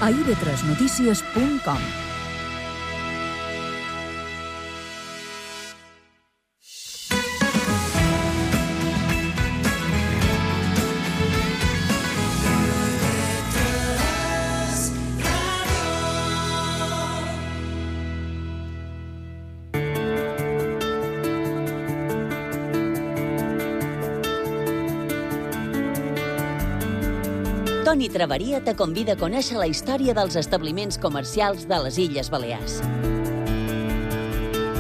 a ib3notícies.com. Toni Traveria te convida a conèixer la història dels establiments comercials de les Illes Balears.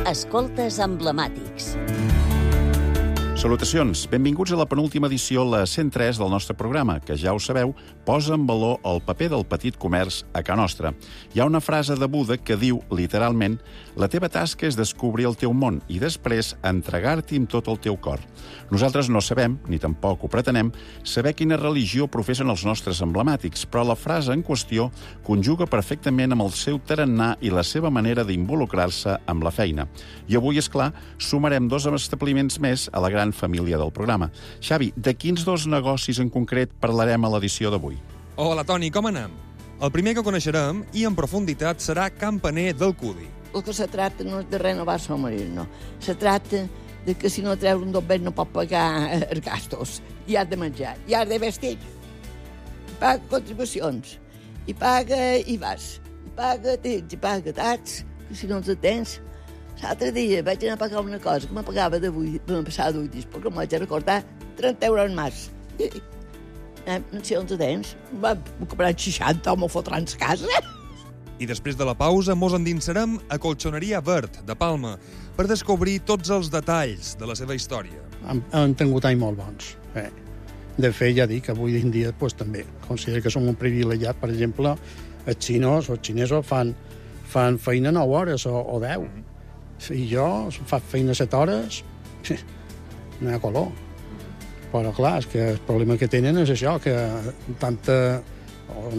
Escoltes emblemàtics. Salutacions, benvinguts a la penúltima edició, la 103 del nostre programa, que ja ho sabeu, posa en valor el paper del petit comerç a Ca Nostra. Hi ha una frase de Buda que diu, literalment, la teva tasca és descobrir el teu món i després entregar-t'hi amb tot el teu cor. Nosaltres no sabem, ni tampoc ho pretenem, saber quina religió professen els nostres emblemàtics, però la frase en qüestió conjuga perfectament amb el seu tarannà i la seva manera d'involucrar-se amb la feina. I avui, és clar, sumarem 2 establiments més a la gran família del programa. Xavi, de quins 2 negocis en concret parlarem a l'edició d'avui? Hola, Toni, com anem? El primer que coneixerem, i en profunditat, serà Campaner del Cudi. El que se tracta no és de renovar el marit, no. Se tracta de que si no treus un dobbet no pot pagar els gastos. I has de menjar, i has de vestir. I paga contribucions, i paga IVAs, i paga tits, i paga tats, que si no els tens. L'altre dia vaig anar a pagar una cosa que me pagava me passava d'8 perquè em vaig recordar 30 euros més. No sé on te tens. Va comprar 60 o m'ho fotran a casa. I després de la pausa mos endinsarem a Colxoneria Verd, de Palma, per descobrir tots els detalls de la seva història. Han tingut anys molt bons. De fet, ja dic, avui en dia pues, també considero que som un privilegiat. Per exemple, els xinesos fan feina 9 hores o 10. I jo faig feina 7 hores, no hi ha color. Però, clar, és que el problema que tenen és això, que en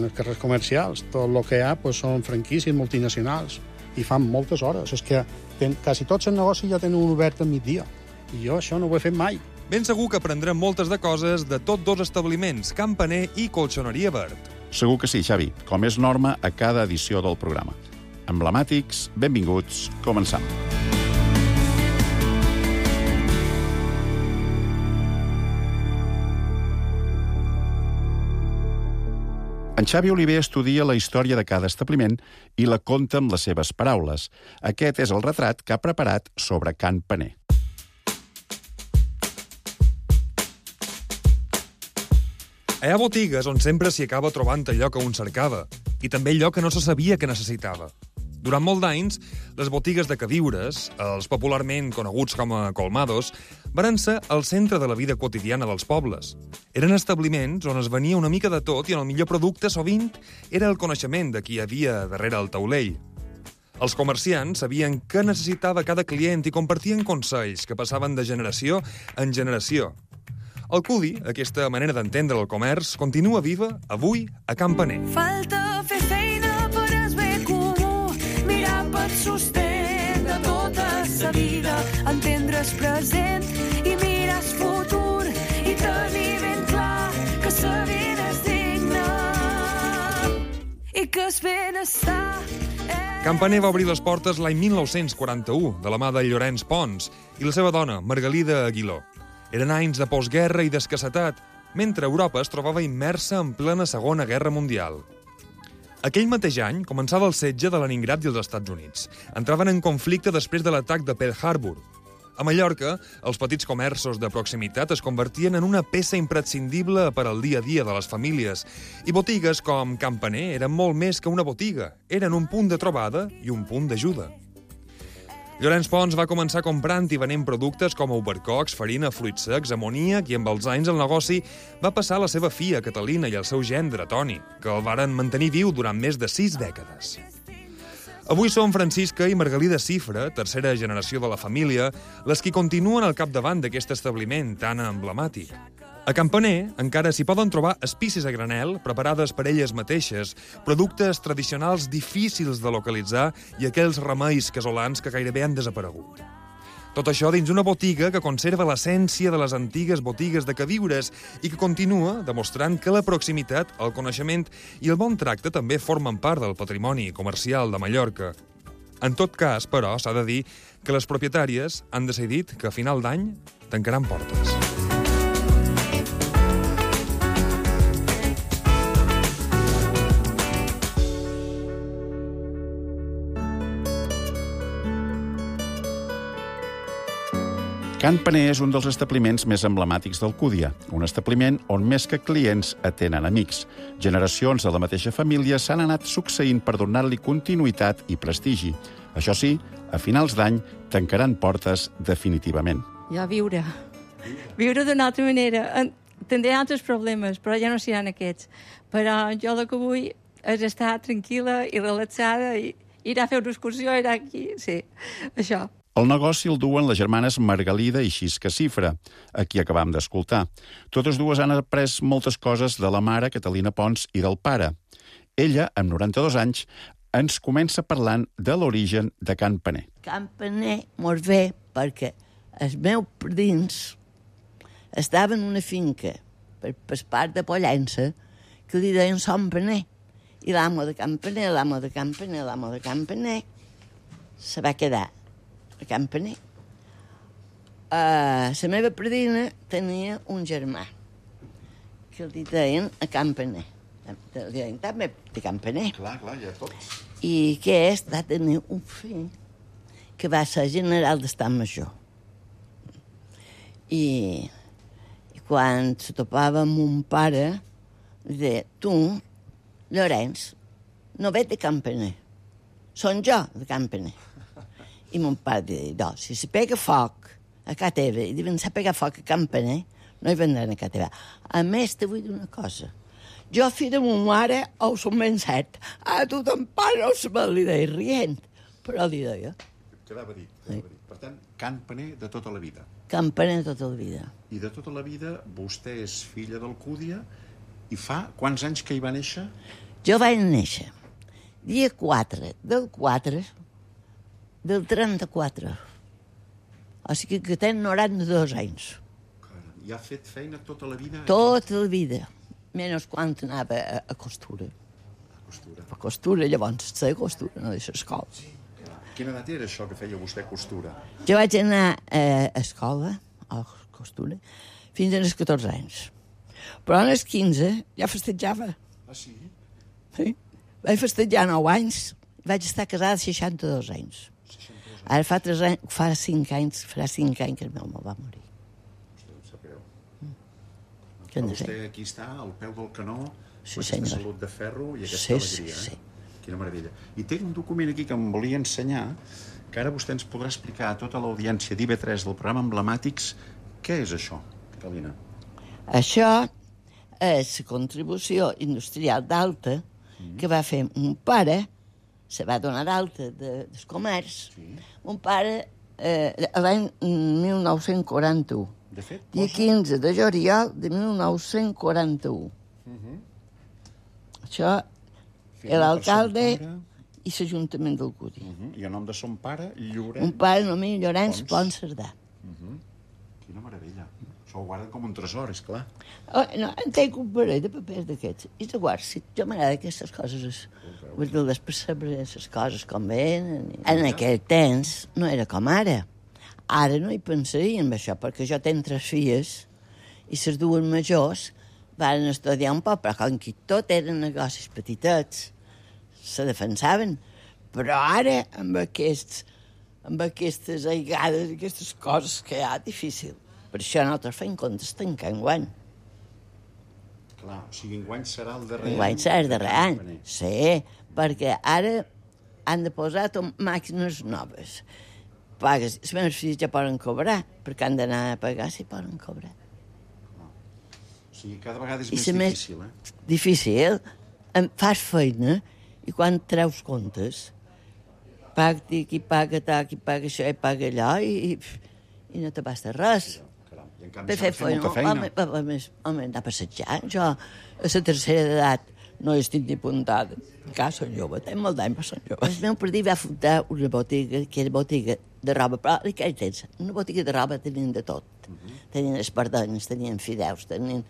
els carrers comercials, tot el que hi ha pues, són franquícies multinacionals i fan moltes hores. És que quasi tots els negocis ja tenen un obert a migdia. I jo això no ho he fet mai. Ben segur que aprendrem moltes de coses de tots 2 establiments, Campaner i Colxoneria Verd. Segur que sí, Xavi, com és norma a cada edició del programa. Emblemàtics, benvinguts, començam. En Xavi Oliver estudia la història de cada establiment i la conta amb les seves paraules. Aquest és el retrat que ha preparat sobre Can Paner. Hi ha botigues on sempre s'hi acaba trobant allò que un cercava, i també allò que no se sabia que necessitava. Durant molt d'anys, les botigues de queviures, els popularment coneguts com a colmados, varen ser el centre de la vida quotidiana dels pobles. Eren establiments on es venia una mica de tot i el millor producte sovint era el coneixement de qui hi havia darrere el taulell. Els comerciants sabien què necessitava cada client i compartien consells que passaven de generació en generació. El Cudi, aquesta manera d'entendre el comerç, continua viva avui a Campaner. Falta fer feina per el bé comú, mirar pel sostén de tota sa vida, entendre el present i mirar el futur i tenir ben clar que sa vida és digna i que el benestar Campaner va obrir les portes l'any 1941 de la mà de Llorenç Pons i la seva dona, Margalida Aguiló. Eren anys de postguerra i d'escassetat, mentre Europa es trobava immersa en plena Segona Guerra Mundial. Aquell mateix any començava el setge de Leningrad i els Estats Units. Entraven en conflicte després de l'atac de Pearl Harbor. A Mallorca, els petits comerços de proximitat es convertien en una peça imprescindible per al dia a dia de les famílies, i botigues com Campaner eren molt més que una botiga. Eren un punt de trobada i un punt d'ajuda. Llorenç Pons va començar comprant i venent productes com albercocs, farina, fruits secs, amoníac, i amb els anys el negoci va passar a la seva filla, Catalina, i al seu gendre, Toni, que el varen mantenir viu durant més de 6 dècades. Avui són Francisca i Margalida Cifra, tercera generació de la família, les qui continuen al capdavant d'aquest establiment tan emblemàtic. A Campaner encara s'hi poden trobar espícies a granel preparades per elles mateixes, productes tradicionals difícils de localitzar i aquells remeis casolans que gairebé han desaparegut. Tot això dins una botiga que conserva l'essència de les antigues botigues de queviures i que continua demostrant que la proximitat, el coneixement i el bon tracte també formen part del patrimoni comercial de Mallorca. En tot cas, però, s'ha de dir que les propietàries han decidit que a final d'any tancaran portes. Can Paner és un dels establiments més emblemàtics d'Alcúdia, un establiment on més que clients atenen amics. Generacions de la mateixa família s'han anat succeint per donar-li continuïtat i prestigi. Això sí, a finals d'any tancaran portes definitivament. Ja viure d'una altra manera. Tindré altres problemes, però ja no seran aquests. Però jo el que vull és estar tranquil·la i relaxada i ir a fer una excursió, ir aquí, sí, això. El negoci el duen les germanes Margalida i Xisca Cifra, a qui acabam d'escoltar. Totes dues han après moltes coses de la mare, Catalina Pons, i del pare. Ella, amb 92 anys, ens comença parlant de l'origen de Can Paner. Can Paner mos ve perquè els meus predins estaven en una finca per part de Pollença que li deien Son Paner. I l'amo de Can Paner se va quedar a Can Paner. La meva predina tenia un germà que li deien a Can Paner. Li deien també de Can Paner. Clar, ja tots. I aquest va tenir un fill que va ser general d'estat major. I quan se topava amb un pare, li deia, tu, Llorenç, no ve de Can Paner. Són jo de Can Paner. I mon pare deia, no, si se pega foc a casa teva i diuen se pega foc a Can Paner, no hi vendran a casa teva. A més, te vull dir una cosa. Jo, fill de mon mare, ho som ben cert. A tu ton pare no se me li deia rient. Però li deia. Quedava dit. Per tant, Can Paner de tota la vida. Can Paner de tota la vida. I de tota la vida vostè és filla d'Alcúdia i fa quants anys que hi va néixer? Jo vaig néixer dia 4 del 4 del 34. O sigui que tenc 92 anys. Caram, i ha fet feina tota la vida? Tota la vida. Menys quan anava a costura. A costura, llavors, sé costura, no deixa escola. Quina edat era això que feia vostè costura? Jo vaig anar a escola, a costura, fins als 14 anys. Però als 15 ja festejava. Ah, sí? Sí. Vaig festejar 9 anys, vaig estar casada 62 anys. Ara fa 5 anys que el meu home va morir. Però vostè aquí està, al peu del canó, sí, aquesta senyor. salut de ferro i aquesta alegria. Sí. Quina meravella. I té un document aquí que em volia ensenyar, que ara vostè ens podrà explicar a tota l'audiència d'IV3 del programa Emblemàtics què és això, Catalina? Això és la contribució industrial d'alta que va fer un pare, se va donar d'alta del comerç, un pare l'any 1941. De fet, Dia 15 de juliol de 1941. Això era l'alcalde i l'Ajuntament d'Alcúdia. I el nom de son pare, Llorenç... Un pare anomenat Llorenç Pons Cerdà. Quina meravella. Això ho guarden com un tresor, és clar. Oh, no, en tenc un parell de papers d'aquests. I de guard, si jo m'agrada aquestes coses, vull dir, percebre les coses com venen. En aquell temps no era com ara. Ara no hi pensaria en això, perquè jo tenc 3 filles i les dues majors van estudiar un poc, però com que tot eren negocis petitets, se defensaven. Però ara, amb aquestes aigades i aquestes coses que hi ha, difícil. Per això nosaltres fem comptes tancar enguany. Clar, o sigui, enguany serà el darrer any. Enguany serà el darrer any, sí, perquè ara han de posar màquines noves. Pagues, els meus fills ja poden cobrar, perquè han d'anar a pagar si poden cobrar. O sigui, cada vegada és més difícil, Difícil. Fas feina i quan treus comptes, paga qui paga tal, qui paga això i paga allò i no te basta res. I en canvi s'ha de fer molta feina. Home, anar a passejar. Jo, a la tercera edat, no estic ni apuntada. Encara són jove, tenc molt d'any, però són jove. El meu partit va fundar una botiga, que era botiga de roba, però aquell temps, una botiga de roba tenien de tot. Tenien espardenyes, tenien fideus, tenien...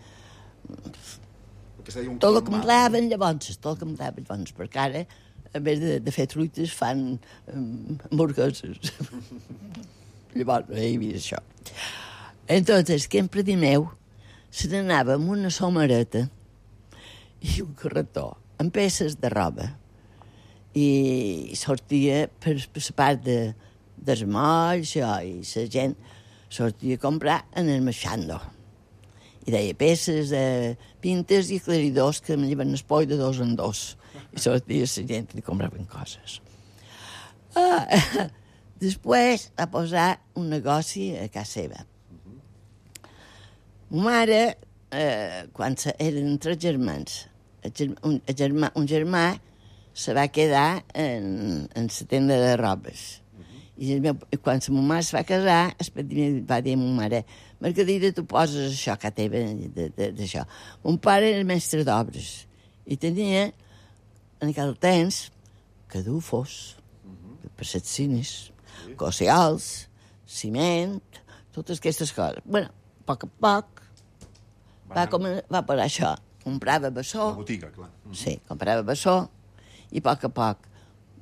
Tot el que em daven llavors, perquè ara, a més de fer truites, fan hamburgueses. Llavors, no hi havia això. Entonces, que en predi meu se n'anava amb una somareta i un carretó amb peces de roba i sortia per la part dels molls i la gent sortia a comprar en el Meixando. I deia peces, pintes i aclaridors que me lleven el poll de 2 en 2. I sortia la gent i compraven coses. Després va posar un negoci a casa seva. Ma mare, quan eren 3 germans, un germà se va quedar en la tenda de robes. I quan la meva mare se va casar, va dir a ma mare, Margarida, tu poses això que teva d'això. Mon pare era mestre d'obres i tenia, en aquell temps, cadufos, per les cines, cocials, ciment, totes aquestes coses. Bueno, a poc va per això. Comprava bessó. La botiga, clar. Sí, comprava bessó i a poc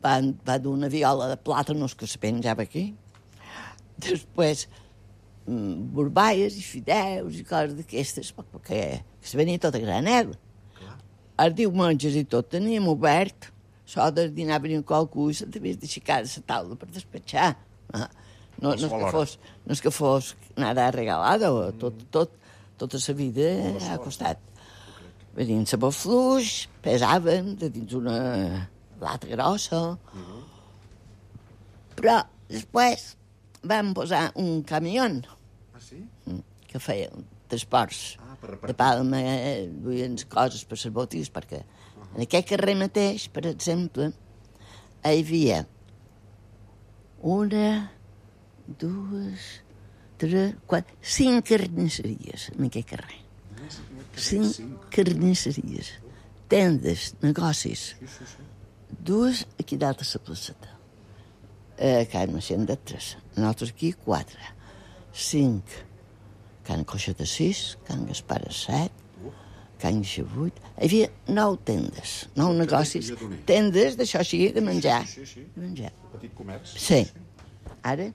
va dur una viola de plàtanos que se penjava aquí. Després, borbaies i fideus i coses d'aquestes, perquè se venia tot a granel. Els diumenges i tot teníem obert, això del dinar venia qualcú i s'havia d'aixecar de la taula per despatxar. No és que fos nada regalado, tota la vida ha costat. Venien sabó fluix, pesaven de dins una lata grossa. Però després vam posar un camió que feia transports de Palma, duien coses per les botigues, perquè en aquest carrer mateix, per exemple, hi havia 1, 2, 3, 4, 5 carnisseries en aquest carrer. 5 carnisseries, tendes, negocis. 2 aquí dalt a la placeta. Can Macient de 3, nosaltres aquí 4, 5, Can Coixeta 6, Can Gaspar 7, Can Guixa 8. Hi havia 9 tendes, 9 negocis. Tendes d'això així, de menjar. De menjar. Petit comerç. Sí. Ara,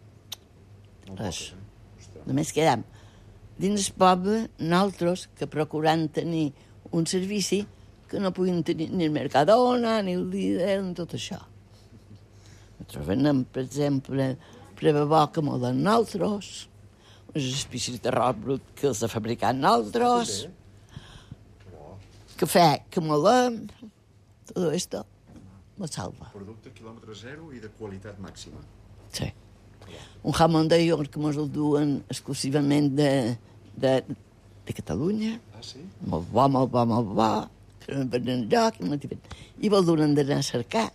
res. Només quedam dins el poble, nosaltres, que procurant tenir un servici que no puguin tenir ni el Mercadona, ni el Lidl, ni tot això. Nosaltres venem, per exemple, prevebó que molen nosaltres, unes espècies de arròs brut que els ha fabricat nosaltres, cafè que molem, tot això me salva. Producte quilòmetre zero i de qualitat màxima. Sí. Un jamón de york que mos el duen exclusivament de Catalunya. Ah, sí? Molt bo, que no venen enlloc, i vol donen d'anar a cercar.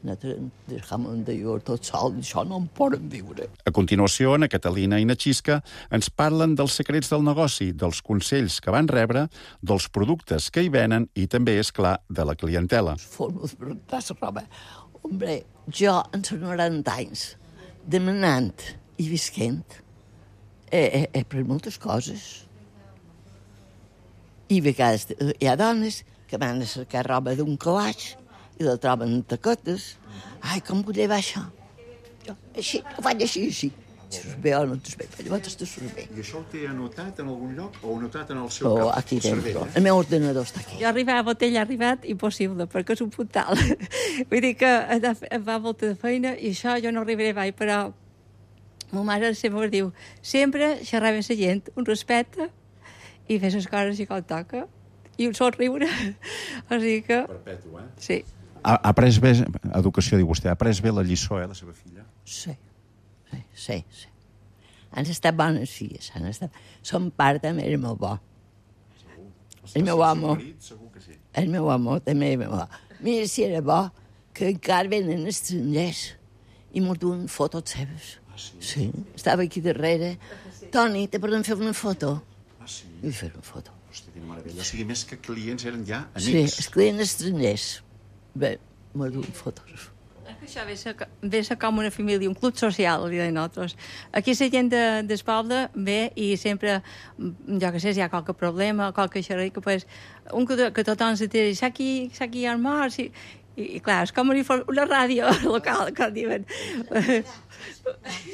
Del jamón de york tot sol, això no en poden viure. A continuació, na Catalina i na Xisca ens parlen dels secrets del negoci, dels consells que van rebre, dels productes que hi venen i també, és clar, de la clientela. Formes per rentar la roba. Hombre, jo, en els 90 anys, demanant i visquent, he pres moltes coses. I a vegades hi ha dones que van a cercar roba d'un calaix i la troben en taquetes. Ai, com vull llevar això? Jo, així, ho faig així. Surt bé o no et bé, però llavors te surt bé. I això ho té anotat en algun lloc o anotat en el seu cap? Aquí dentro. El meu ordenador està aquí. Jo arribar a botella ha arribat impossible, perquè és un puntal. Vull dir que em va molta de feina i això jo no arribaré mai, però ma mare sempre diu, sempre xerrar amb la gent, un respecte i fer les coses i com toca. I un somriure. O sigui que... Perpetu, Sí. Ha après bé, educació, diu vostè, ha après bé la lliçó, la seva filla? Sí. Han estat bones filles, Son part també era molt bo. El meu home. Segur que sí. El meu home també era bo. Mira si era bo, que encara venen estrangers i mos duen fotos seves. Ah, sí? Sí. Estava aquí darrere. Toni, te podem fer una foto? Ah, sí? I fer una foto. Hosti, quina meravella. O sigui, més que clients eren ja amics. Sí, els clients estrangers. Bé, m'ha dut un fotògraf. Això ve ser com una família, un club social, li deien nosaltres. Aquí la gent del poble ve i sempre, jo que sé, si hi ha qualque problema, qualque xerrica, pues, que tothom se tira, aquí hi ha morts, i clar, és com una ràdio local, com diuen.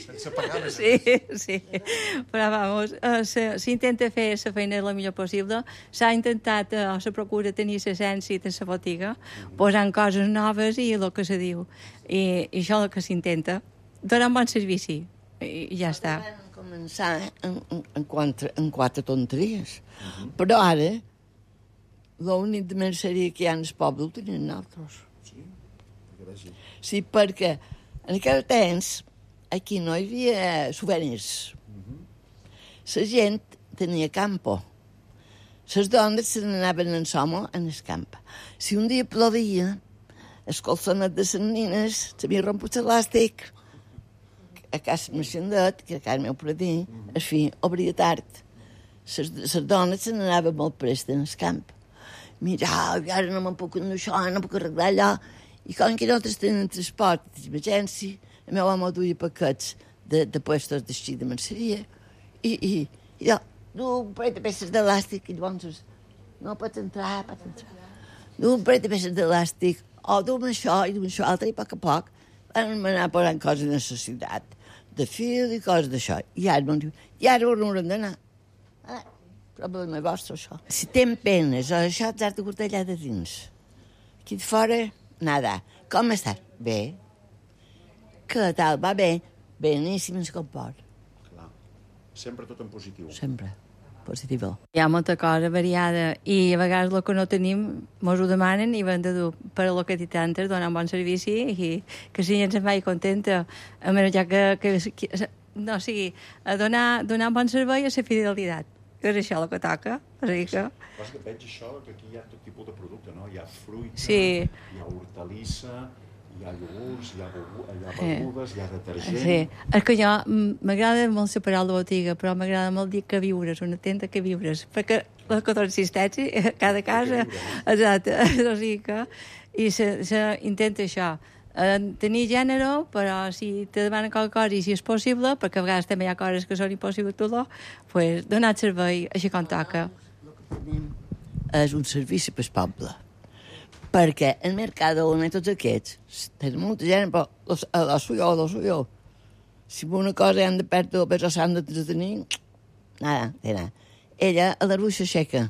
Sense pagar més. Sí. Però, vamos, s'intenta fer la feina el millor possible. S'ha intentat, se procura tenir l'essència de la botiga, posant coses noves i el que se diu. I això és el que s'intenta. Donar un bon servici. I ja està. Vam començar en 4 tonteries. Però ara, l'únic de merceria que hi ha en el poble ho tenien nosaltres. Sí, perquè en aquell temps aquí no hi havia souvenirs. La gent tenia campo. Les dones se n'anaven en somo en el camp. Si un dia plovia, el colsonet de les nines s'havia romput l'elàstic a casa Mercendet, que a casa meu per dir, en fi, obria tard. Les dones se n'anaven molt prest en el camp. Mira, ara no me'n puc anar això, no puc arreglar allò. I com que nosaltres tenen transport d'emergència, el meu home duia paquets de puestos d'així de merceria. I jo, du un parell de peces d'elàstic, i llavors, no pots entrar. Du un parell de peces d'elàstic, du'm això i du'm això altre, i a poc van anar posant coses de necessitat, de fil i coses d'això. I ara on haurem d'anar? Problema vostre, això. Si tens penes o això, t'has de portar allà de dins. Aquí de fora, nada. Com estàs? Bé. Què tal? Va bé? Beníssim ens comport. Clar. Sempre tot en positiu. Sempre. Positiu. Hi ha molta cosa variada i a vegades el que no tenim mos ho demanen i hem de dur per a lo que t'intantes, donar un bon servici i que si gent se'n vagi contenta. A menys ja no, o sigui, a donar un bon servei a la fidelitat. Que és això el que toca. O sigui que... Passa que veig això, que aquí hi ha tot tipus de producte, no? Hi ha fruita, sí. Hi ha hortalissa, hi ha iogurts, hi ha begudes, hi ha detergent... Sí, és que jo m'agrada molt la paraula botiga, però m'agrada molt dir que viures, una tenda que viures, perquè la consistència, cada casa... Exacte, o sigui que... I s'intenta això, tenir gènere, però si te demanen qualque cosa i si és possible, perquè a vegades també hi ha coses que són impossibles tot, pues donar servei així com toca. El que tenim és un servici per poble, perquè el Mercadona i tots aquests tenen molta gent, però lo suyo. Si una cosa han de perdre o però s'han de tenir, nada. Ella a la ruixa aixeca,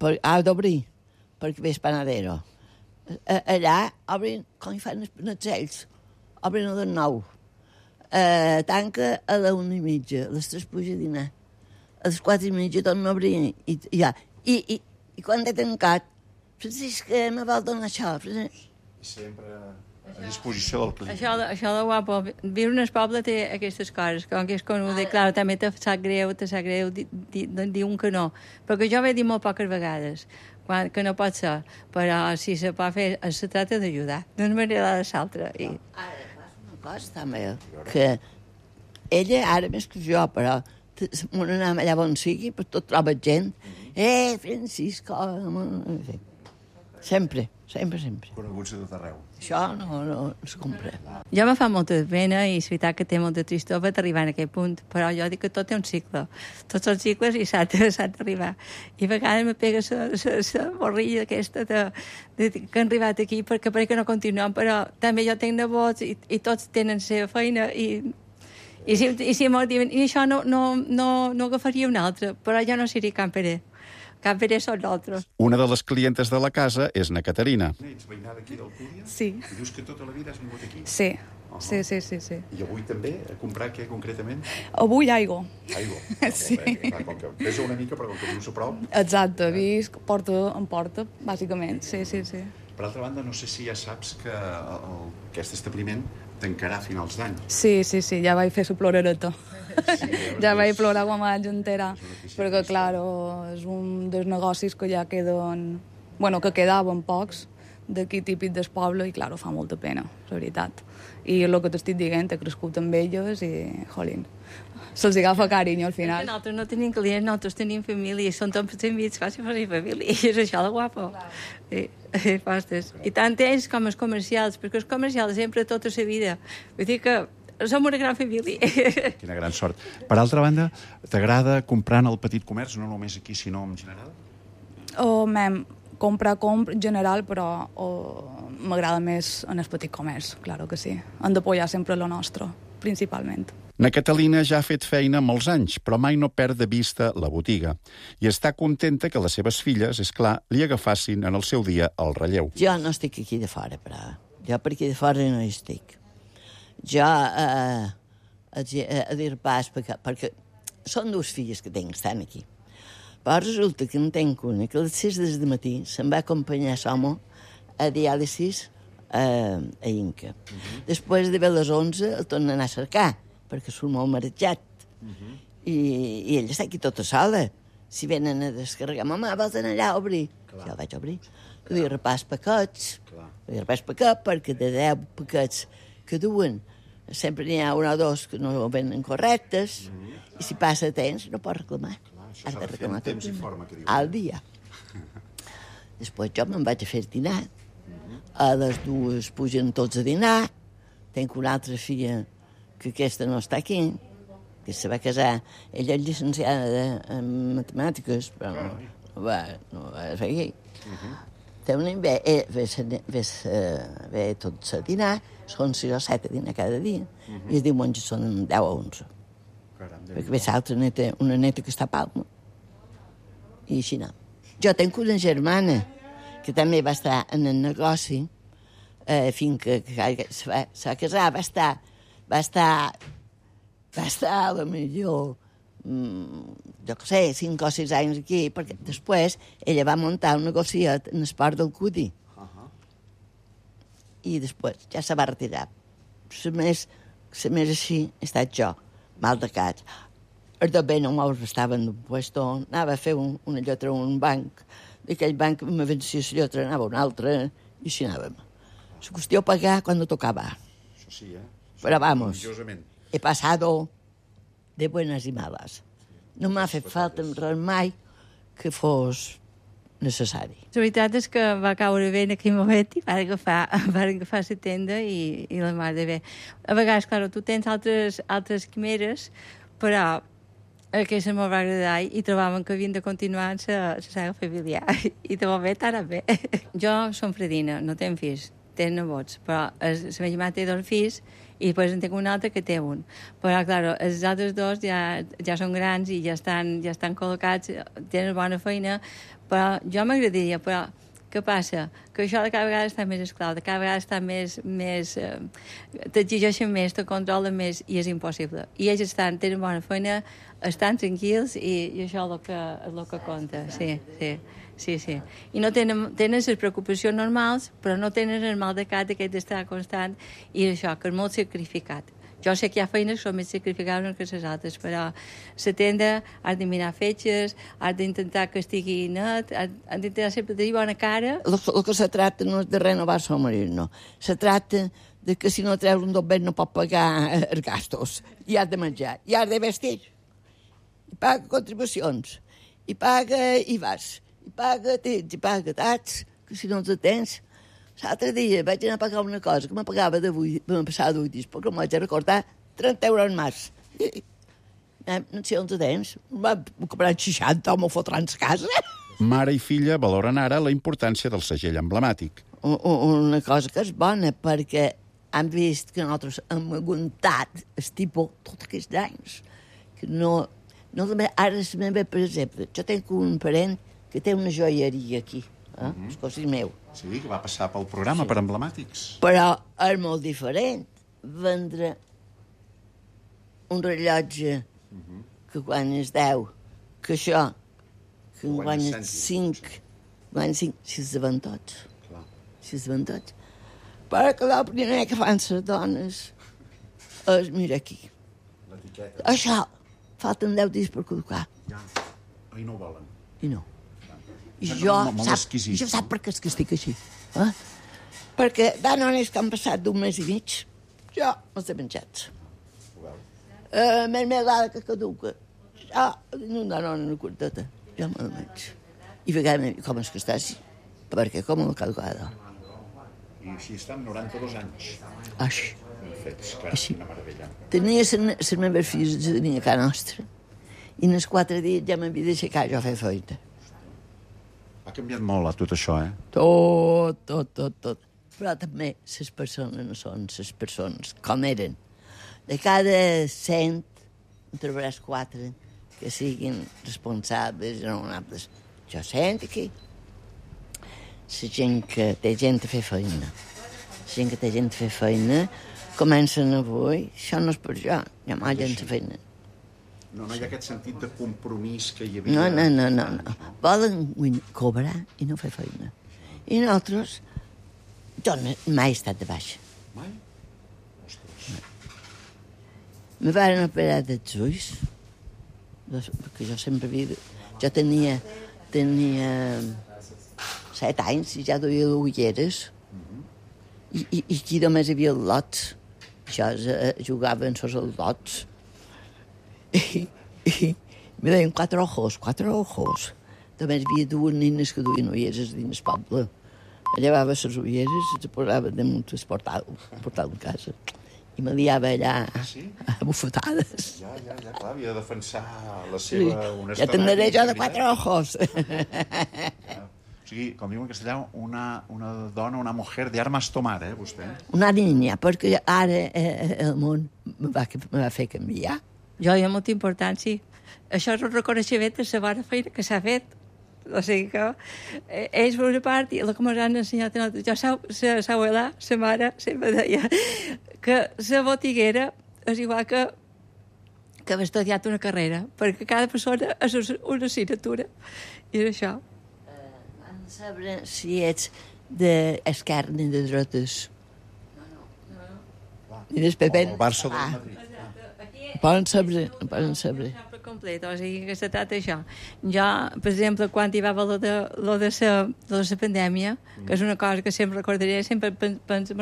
ha d'obrir, perquè ve el panadero. Allà obrin, com hi fan els ells, obrin a les 9. Tanca a les 1:30, a les 3 puja a dinar. A les 4:30 torna a obrir. I quan he tancat, Francisca, me vol donar això. Sempre a disposició del client. Això de guapo, viure en el poble té aquestes coses, com que és conegut, i clar, també te sap greu dir un que no. Perquè jo ho he dit molt poques vegades, que no pot ser, però si se pot fer, se tracta d'ajudar, d'una manera o de l'altra. Ara, passa una cosa també, que ella, ara més que jo, però m'ho anem allà on sigui, per tot troba gent. Francisco... Sempre. Coneguts de tot arreu. Això no es compra. Jo me fa molta pena i és veritat que té molta tristor per arribar a aquest punt, però jo dic que tot té un cicle. Tots els cicles i s'ha d'arribar. I a vegades me pega la borrilla aquesta que han arribat aquí perquè pareix que no continuem, però també jo tinc nebots i tots tenen la seva feina i si m'ho diuen, i això no agafaria un altre, però jo no seria camperé. Camperé són nosaltres. Una de les clientes de la casa és na Caterina. Ets veïna d'aquí d'Alcúdia? Sí. I dius que tota la vida has vingut aquí? Sí. Sí. I avui també a comprar què concretament? Avui aigua. Aigua. Sí. Clar, com que pesa una mica, però com que vius a prop... Exacte, visc porta en porta, bàsicament. Sí. Per altra banda, no sé si ja saps que aquest establiment tancarà a finals d'any. Sí, ja vaig fer la plorereta. Sí, ja vaig plorar quan vaig entera, perquè, clar, és un dels negocis que ja queden... Bueno, que quedaven pocs, d'aquí típic del poble i, clar, fa molta pena, la veritat. I el que t'estic dient, he crescut amb elles i, jolín, se'ls agafa carinyo al final. Nosaltres no tenim clients, nosaltres tenim família, són tots amics, quasi per la família, i és això de guapo. Postes. I tant ells com els comercials, perquè els comercials sempre tota la vida. Vull dir que som una gran família. Quina gran sort. Per altra banda, t'agrada comprar en el petit comerç, no només aquí, sinó en general? Comprar en general, però m'agrada més en el petit comerç, claro que sí. Hem d'apoyar sempre lo nostre, principalment. Na Catalina ja ha fet feina molts anys, però mai no perd de vista la botiga. I està contenta que les seves filles, és clar, li agafassin en el seu dia el relleu. Jo no estic aquí de fora, però jo per aquí de fora no hi estic. Jo a dir pas, perquè són dues filles que tinc, estan aquí. Però resulta que en tenc una que a les 6 del matí se'n va acompanyar l'home a diàlisis a Inca. Després de les 11 el torna a anar a cercar, perquè surt molt marejat. I ell està aquí tota sola. Si venen a descarregar, mamà, vols anar allà a obrir? Ja el vaig obrir. Li repàs paquets. Li repàs paquet, perquè de 10 paquets que duen sempre n'hi ha un o dos que no venen correctes, i si passa temps no pot reclamar. Has de reclamar al dia. Després jo me'n vaig a fer dinar. A les 2 pugen tots a dinar. Tenc una altra filla que aquesta no està aquí, que se va casar. Ella és llicenciada en matemàtiques, però no va fer aquí. Ve tots a dinar, són 6 o 7 a dinar cada dia, i els diumenges són 10 o 11. Perquè ve l'altra neta, una neta que està a Palma, i així no. Jo tenc una germana que també va estar en el negoci fins que se va casar, va estar a la millor, jo què sé, 5 o 6 anys aquí, perquè després ella va muntar un negociet en el port del Cudi. I després ja se va retirar. La més així he estat jo, mal de cap. Els dos bé no me'ls estaven d'un puesto, anava a fer una lletra a un banc, d'aquell banc me vencia la lletra, anava a un altre, i així anàvem. La qüestió pagar quan tocava. Això sí, Però vamos, he pasado de buenas y malas. No m'ha fet falta res mai que fos necessari. La veritat és que va caure bé en aquell moment i van agafar la tenda i la mar de bé. A vegades, clar, tu tens altres quimeres, però aquesta m'ho va agradar i trobàvem que havien de continuar en la saga familiar. I de moment ara bé. Jo som fredina, no tenc fills, tenc nebots, però la meva germana té 2 fills i després en tinc un altre que té un. Però, clar, els altres 2 ja són grans i ja estan col·locats, tenen bona feina, però jo m'agradaria, però què passa? Que això de cada vegada està més esclau, de cada vegada està més t'exigeixen més, te controlen més i és impossible. I ells tenen bona feina, estan tranquils i això és el que compta, sí. I no tenen les preocupacions normals, però no tenen el mal de cap d'aquest d'estar constant i això, que és molt sacrificat. Jo sé que hi ha feines que són més sacrificables que les altres, però la tenda has de mirar fetges, has d'intentar que estigui net, has d'intentar sempre tenir bona cara. El que se tracta no és de renovar el marit, no. Se tracta de que si no treus un doblet no pot pagar els gastos. I has de menjar, i has de vestir. I paga contribucions, i paga IVAs, i paga tits, i paga tats, que si no els tens. L'altre dia vaig anar a pagar una cosa que me pagava m'ha passat d'8 dies, perquè em vaig a recordar 30 euros més. No sé on tens. M'ha comprat 60 o m'ho fotran a casa. Mare i filla valoren ara la importància del segell emblemàtic. Una cosa que és bona, perquè han vist que nosaltres hem aguantat el tipus tots aquests anys. Que no ara es ve, per exemple, jo tenc un parent que té una joieria aquí, els cosins meu. Sí, que va passar pel programa, per emblemàtics. Però és molt diferent vendre un rellotge que guanyes 10, que això, que guanyes 5, si es ven tots. Si es ven tots. Però que el primer que fan les dones és, mira aquí. Això, falten 10 dies per col·locar. I no ho volen. I no. I jo sap per què és que estic així. perquè d'anones que han passat d'un mes i mig, jo els he menjat. Mermelada que caduca, jo, una dona una curteta, jo me la menjo. I a vegades, com és que està així? Perquè com la caducada. I així està amb 92 anys. Així. Fets, clar, una meravella. Tenia les meves filles, tenia a casa nostra. I en els 4 dies ja m'havia d'aixecar jo a fer feina. Ha canviat molt tot això, Tot. Però també les persones no són les persones com eren. De cada 100, en trobaràs 4 que siguin responsables, raonables. Jo sento aquí. La gent que té gent a fer feina. La gent que té gent a fer feina comencen avui. Això no és per jo. Hi ha molt gent a feina. No hi ha aquest sentit de compromís que hi havia... No. Volen cobrar i no fer feina. I nosaltres... Jo mai he estat de baixa. Mai? Ostres. Me van operar dels ulls, perquè jo sempre havia... Jo tenia 7 anys i ja duia ulleres. I aquí només hi havia lots. Jo jugava en els lots. I me deien 4 ojos. També hi havia 2 nines que duien ulleres dins el poble. Llevava les ulleres i les posava damunt el portal de casa. I me liava allà a bufetades. Ja, clar, havia de defensar la seva honestedat. Ja tindré jo de 4 ojos. O sigui, com diuen en castellà, una dona, una mujer de armas tomar, vostè? Una niña, perquè ara el món me va fer canviar. Jo hi ha molta importància. Això és un reconeixement de la bona feina que s'ha fet. O sigui que ells, per una part, i el que ens han ensenyat a nosaltres, jo, sa abuela, sa mare, sempre deia que la botiguera és igual que haver estudiat una carrera, perquè cada persona és una assignatura. I és això. Han de saber si ets d'esquerra ni de dretes. No. Ni del PP. O el Barça del Madrid. Poden saber. Complet, o sigui que se tracta això. Jo, per exemple, quan hi va haver lo de la pandèmia, que és una cosa que sempre recordaré, sempre me'n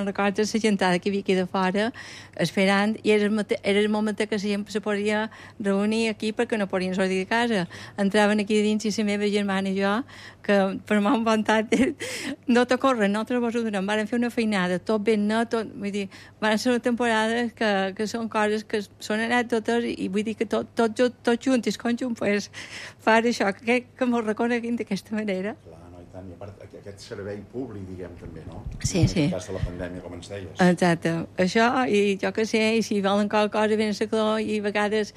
recordo la gentada que hi havia aquí de fora, esperant, i era el moment que la gent se podia reunir aquí perquè no podien sortir de casa. Entraven aquí dins i la meva germana i jo, que per m'han vantat, no t'ocorren, nosaltres vos ho donem, van fer una feinada, tot ben net, vull dir, van ser una temporada que són coses que són anècdotes i vull dir que tot junts, el conjunt, pues, fa això, que m'ho reconeguin d'aquesta manera. Clar, no, i tant. I a part, aquest servei públic, diguem, també, no? Sí. En el cas de la pandèmia, com ens deies. Exacte. Això, i jo que sé, i si volen qualque cosa, venen a calor, i a vegades,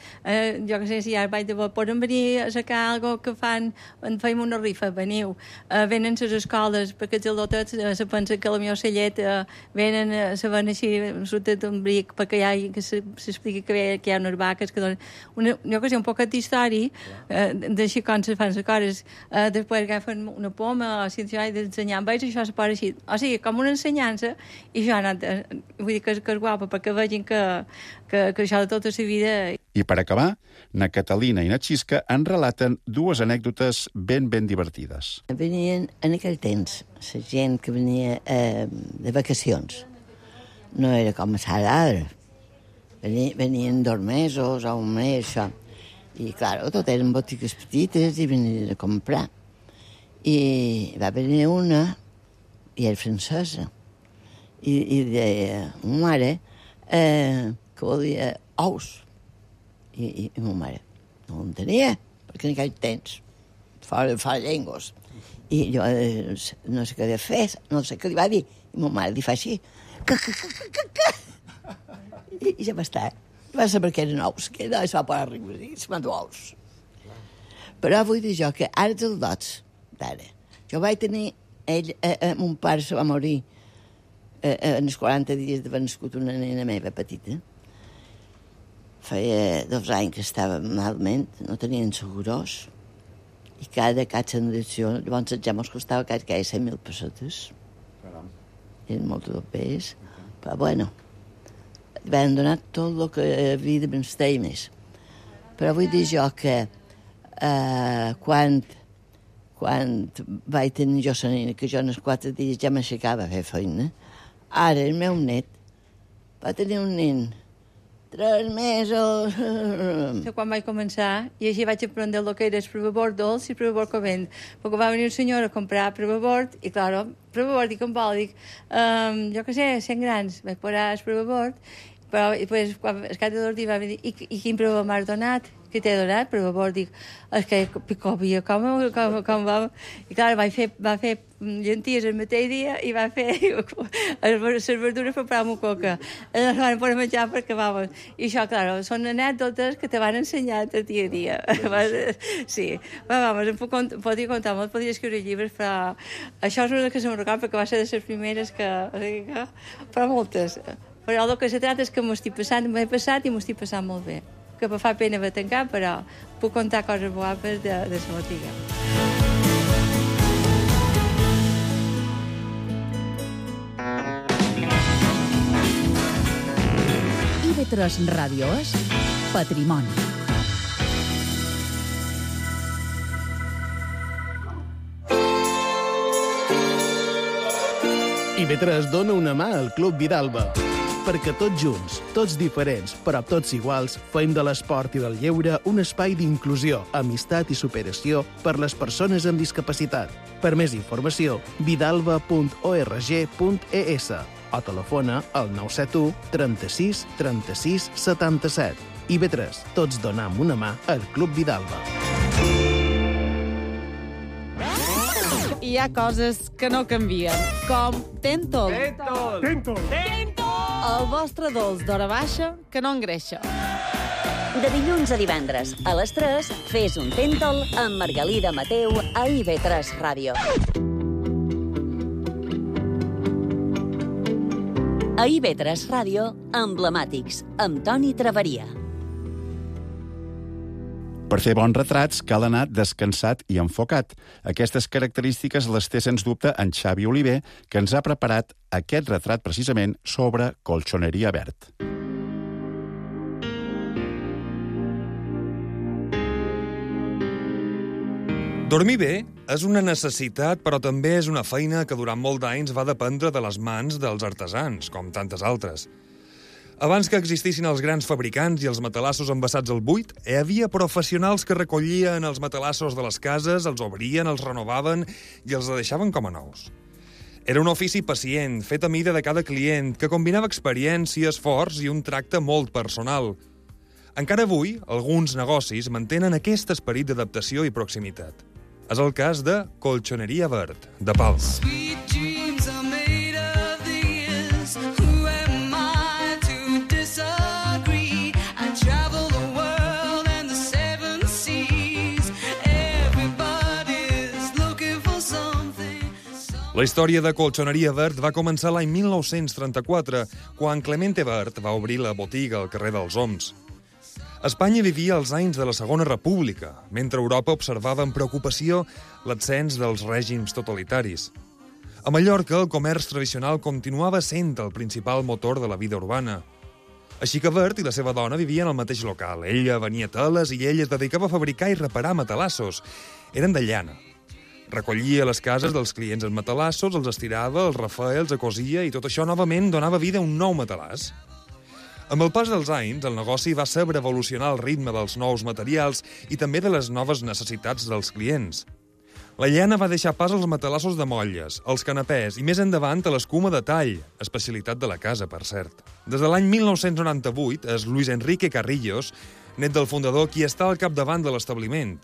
jo que sé, si ara vaig de bo, poden venir a sacar alguna que fan, feim una rifa, veniu. Venen les escoles, perquè els al·lotets se pensen que la meva celleta venen, se ven així, sota d'un bric, perquè s'explica que hi ha unes vaques que donen... Jo que sé, un poquet d'història d'així com se fan les coses. Després agafen una poma o si i d'ensenyar amb ells, això se posa així. O sigui, com una ensenyança, i jo vull dir que és guapa perquè vegin que això de tota la vida... I per acabar, na Catalina i na Xisca en relaten 2 anècdotes ben divertides. Venien en aquell temps la gent que venia de vacacions. No era com ara. Venien 2 mesos o 1 mes, això. I, clar, tot eren botigues petites i venien a comprar. I va venir una, i era francesa, i deia, ma mare, que volia ous. I ma mare no en tenia, perquè en aquell temps, fa llengües. I jo no sé què havia fet, no sé què li va dir, i ma mare li fa així, i ja va estar. Va saber que eren ous, que no es va posar riure, i se m'han ous. Però vull dir jo que ara dels dots, d'ara, jo vaig tenir, mon pare se va morir en els 40 dies d'haver nascut una nena meva petita. Feia 2 anys que estava malament, no tenien segurós, i cada sandació, llavors ja mos costava quasi 100.000 pessetes. Eren molt dobbers, però bueno, van donar tot el que havia de menester més. Però vull dir jo que quan quan vaig tenir jo la nena, que jo en els 4 dies ja m'aixecava a fer feina. Ara el meu net va tenir un nen 3 mesos. Quan vaig començar, i així vaig aprendre el que era el provabord dolç i el provabord calent. Perquè va venir un senyor a comprar provabord, i clar, provabord, dic, jo què sé, 100 grans. Vaig posar el provabord, però després, quan el cap de 2 dies va venir, i quin provabord m'has donat? Què t'he donat? Provabord, dic, és que picovia, com va... I clar, va fer llenties el mateix dia i va fer les verdures per preparar amb coca. Les van posar a menjar perquè, vamos... I això, clar, són anècdotes que te van ensenyar el dia a dia. Sí, vamos, podria contar molt, podria escriure llibres, però això és una que se me'n recorda perquè va ser de les primeres que... Però moltes. Però el que se trata és que m'ho he passat i m'ho estic passant molt bé. Que me fa pena de tancar, però puc contar coses guapes de la botiga. IB3 Ràdio és Patrimoni. IB3 dona una mà al Club Vidalba, perquè tots junts, tots diferents, però tots iguals, fem de l'esport i del lleure un espai d'inclusió, amistat i superació per les persones amb discapacitat. Per més informació, vidalba.org.es o telefona al 971 36 36 77. IB3, tots donam una mà al Club Vidalba. Hi ha coses que no canvien, com Tentol. Tentol! El vostre dolç d'hora baixa que no engreixa. De dilluns a divendres, a les 3, fes un Tentol amb Margalida Mateu a IB3 Ràdio. A IB3 Ràdio, Emblemàtics, amb Toni Traveria. Per fer bons retrats cal anar descansat i enfocat. Aquestes característiques les té, sens dubte, en Xavi Oliver, que ens ha preparat aquest retrat precisament sobre colxoneria verd. Dormir bé és una necessitat, però també és una feina que durant molts anys va dependre de les mans dels artesans, com tantes altres. Abans que existissin els grans fabricants i els matalassos envasats al buit, hi havia professionals que recollien els matalassos de les cases, els obrien, els renovaven i els deixaven com a nous. Era un ofici pacient, fet a mida de cada client, que combinava experiència, esforç i un tracte molt personal. Encara avui, alguns negocis mantenen aquest esperit d'adaptació i proximitat. És el cas de Colxoneria Verd, de Palma. La història de Colxoneria Verd va començar l'any 1934, quan Clemente Verd va obrir la botiga al carrer dels Oms. Espanya vivia els anys de la Segona República, mentre Europa observava amb preocupació l'ascens dels règims totalitaris. A Mallorca, el comerç tradicional continuava sent el principal motor de la vida urbana. Així que Verd i la seva dona vivien al mateix local. Ella venia teles i ell es dedicava a fabricar i reparar matalassos. Eren de llana. Recollia les cases dels clients els matalassos, els estirava, els refeia, els cosia i tot això novament donava vida a un nou matalàs. Amb el pas dels anys, el negoci va saber evolucionar al ritme dels nous materials i també de les noves necessitats dels clients. La llana va deixar pas als matalassos de motlles, als canapès i més endavant a l'escuma de tall, especialitat de la casa, per cert. Des de l'any 1998 és Luis Enrique Carrillos, net del fundador, qui està al capdavant de l'establiment.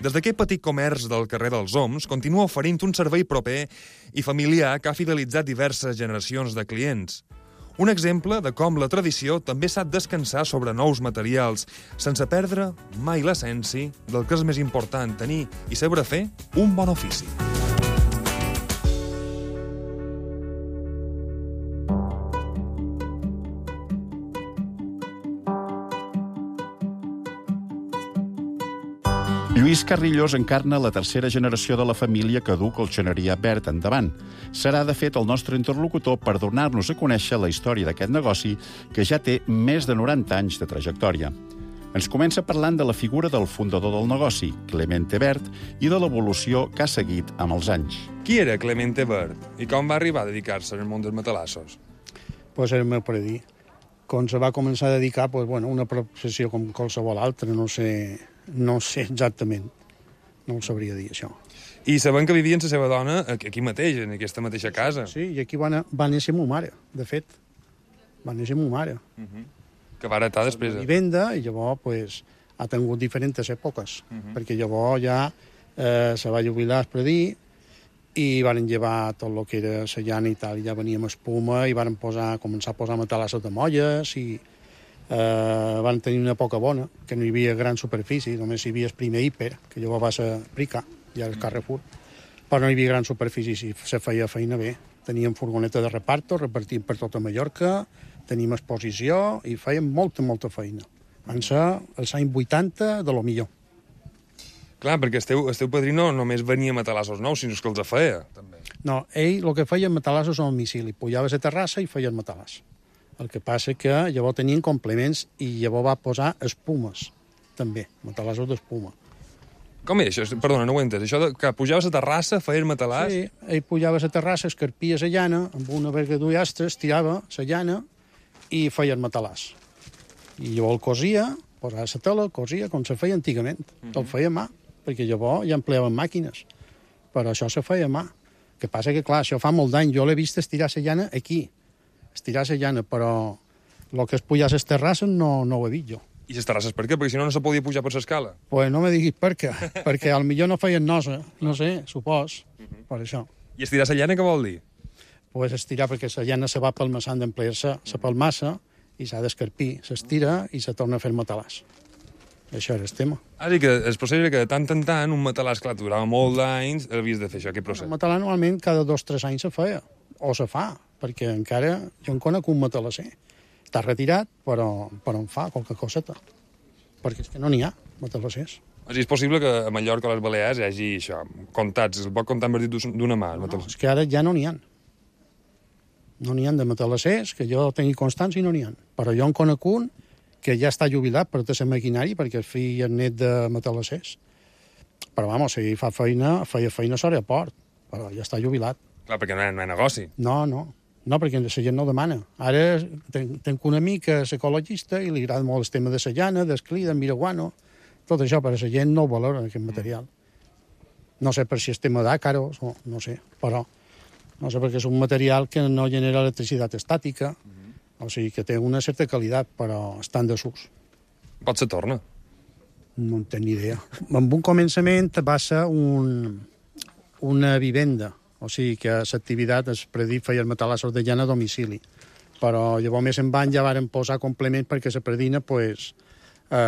Des d'aquest petit comerç del carrer dels Oms, continua oferint un servei proper i familiar que ha fidelitzat diverses generacions de clients. Un exemple de com la tradició també sap descansar sobre nous materials, sense perdre mai l'essència del que és més important, tenir i saber fer un bon ofici. Lluís Carrillos encarna la tercera generació de la família que du Colxoneria Verd endavant. Serà, de fet, el nostre interlocutor per donar-nos a conèixer la història d'aquest negoci que ja té més de 90 anys de trajectòria. Ens comença parlant de la figura del fundador del negoci, Clemente Bert, i de l'evolució que ha seguit amb els anys. Qui era Clemente Bert i com va arribar a dedicar-se al món dels matalassos? Pues era el meu predí. Quan se va començar a dedicar, pues, bueno, una professió com qualsevol altra, no sé exactament. No ho sabria dir, això. I sabem que vivia amb la seva dona aquí mateix, en aquesta mateixa casa. Sí, i aquí va néixer ma mare, de fet. Va néixer ma mare. Que va heretar després. La vivenda, i llavors pues, ha tingut diferents èpoques, perquè llavors ja se va jubilar el predí i van llevar tot el que era la llana i tal, i ja venia amb espuma i van començar a posar matalassos de molles i van tenir una època bona, que no hi havia gran superfície, només hi havia el primer hiper, que llavors va ser Prica, ja el Carrefour, però no hi havia gran superfície, si se feia feina bé. Teníem furgoneta de reparto, repartíem per tota Mallorca, teníem exposició i fèiem molta feina. Van ser els anys 80 de lo millor. Clar, perquè el teu padrí no només venia a matalassos nous, sinó que els feia, també. No, ell el que feia matalassos a domicili. Pujava a la terrassa i feia el matalàs. El que passa que llavors tenien complements i llavors va posar espumes, també, matalassos d'espuma. Com és això? Perdona, no ho he entès. Això que pujava a la terrassa, feia el matalàs? Sí, ell pujava a la terrassa, escarpia la llana, amb una vergadura astres, tirava la llana i feia el matalàs. I llavors el cosia, posava la tela, cosia, com se feia antigament. El feia a mà, perquè llavors ja empleaven màquines. Però això se feia a mà. El que passa que, clar, això fa molt d'any. Jo l'he vist estirar la llana aquí. Estirar la llana, però el que es pujar a les terrasses no ho he vist jo. I les terrasses per què? Perquè si no, no se podia pujar per l'escala. Pues no me diguis per què, perquè potser no feien nosa, no sé, supos, per això. I estirar la llana què vol dir? Pues estirar perquè la llana se va palmassant d'emplear-se, se palmassa i s'ha d'escarpir, s'estira i se torna a fer matalàs. Això era el tema. Ara que el procés era que de tant en tant un matalàs, clar, durava molt d'anys, havies de fer això, aquest procés. El matalàs normalment cada 2 o 3 anys se feia, o se fa, perquè encara jo en conec un matalasser. Està retirat, però en fa qualque coseta. Perquè és que no n'hi ha matalassers. És possible que a Mallorca o a les Balears hi hagi això, comptats, es pot comptar amb el dit d'una mà. No, és que ara ja no n'hi ha. No n'hi ha de matalassers, que jo tingui constància i no n'hi ha. Però jo en conec un que ja està jubilat per tot el maquinari, perquè el fill és net de matalassers. Però, vamos, si fa feia feina a l'aeroport, però ja està jubilat. Clar, perquè no hi ha negoci. No, perquè la gent no demana. Ara tenc un amic que és ecologista i li agrada molt el tema de la llana, del cli, del miraguano, tot això, però la gent no ho valora, aquest material. No sé per si és tema d'àcaros, no sé, però no sé perquè és un material que no genera electricitat estàtica, o sigui que té una certa qualitat, però està en desús. Pot ser torna? No en tinc ni idea. En un començament va ser una vivenda, o sigui que l'activitat es predí feia els matalassos de llana a domicili. Però llavors més en van ja varen posar complements perquè la predina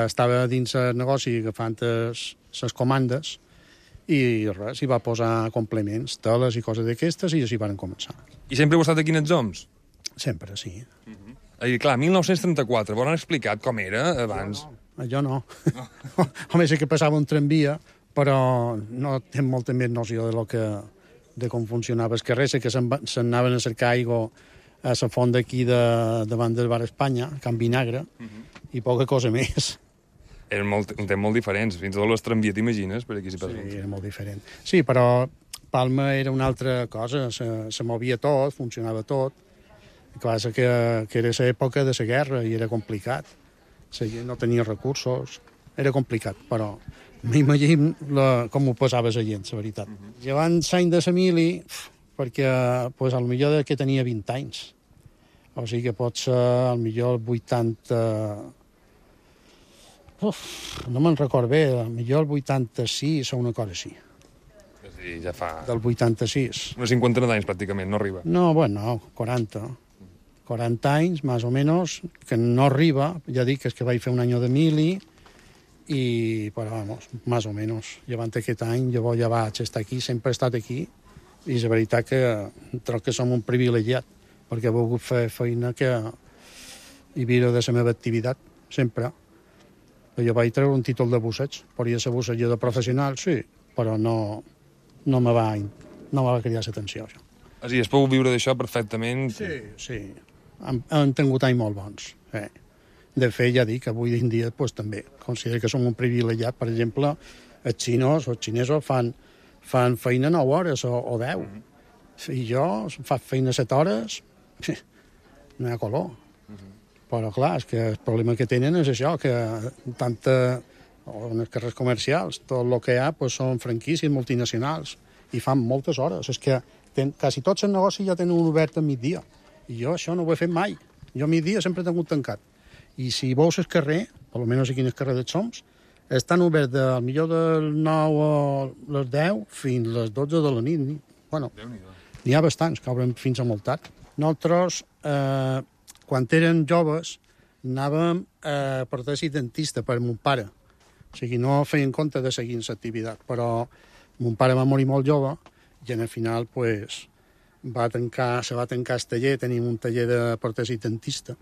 estava dins el negoci agafant les comandes i res, hi va posar complements, teles i coses d'aquestes i així varen començar. I sempre heu estat aquí en els oms? Sempre, sí. I clar, 1934, vos han explicat com era abans? Jo no. Home, sé que passava un tramvia, però no tinc molta més noció de com funcionava el carrer, sé que s'anaven a cercar aigua a la font d'aquí davant del bar Espanya, a Can Vinagre, i poca cosa més. Eren un temps molt diferents, fins i tot les tramvies, t'imagines, per aquí s'hi passa. Sí, era molt diferent. Sí, però Palma era una altra cosa, se movia tot, funcionava tot. El que passa que era l'època de la guerra i era complicat. La gent no tenia recursos, era complicat, però m'imagino com ho passava la gent, la veritat. Llevant l'any de la mili, perquè pues, al millor que tenia 20 anys. O sigui que pot ser al millor 80... no me'n record bé, al millor el 86 o una cosa així. És a dir, ja fa... Del 86. Una cinquantena d'anys, pràcticament, no arriba. No, bueno, 40. 40 anys, més o menys, que no arriba. Ja dic que és que vaig fer un any de mili, però, vamos, més o menys. Llevant aquest any, llavors ja vaig estar aquí, sempre he estat aquí, i és veritat que trobo que som un privilegiat, perquè he volgut fer feina i viure de la meva activitat, sempre. Jo vaig treure un títol de busseig, podria ser bussejador professional, sí, però no me va cridar l'atenció, això. És a dir, es pot viure d'això perfectament? Sí. Han tingut anys molt bons. De fet, ja dic, avui en dia pues, també considero que som un privilegiat. Per exemple, els xinesos fan feina 9 hores o 10. I jo faig feina 7 hores, no hi ha color. Però, clar, és que el problema que tenen és això, que en els carrers comercials, tot el que hi ha pues, són franquícies multinacionals i fan moltes hores. És que quasi tots els negocis ja tenen obert a migdia. I jo això no ho he fet mai. Jo a migdia sempre he tingut tancat. I si veus el carrer, almenys aquí en el carrer dels Soms, estan oberts del millor del 9 a les 10 fins a les 12 de la nit. Bueno, n'hi ha bastants que obren fins a molt tard. Nosaltres, quan érem joves, anàvem a protesi dentista per mon pare. O sigui, no feien compte de seguir l'activitat, però mon pare va morir molt jove i al final pues, se va tancar el taller, tenim un taller de protesi dentista,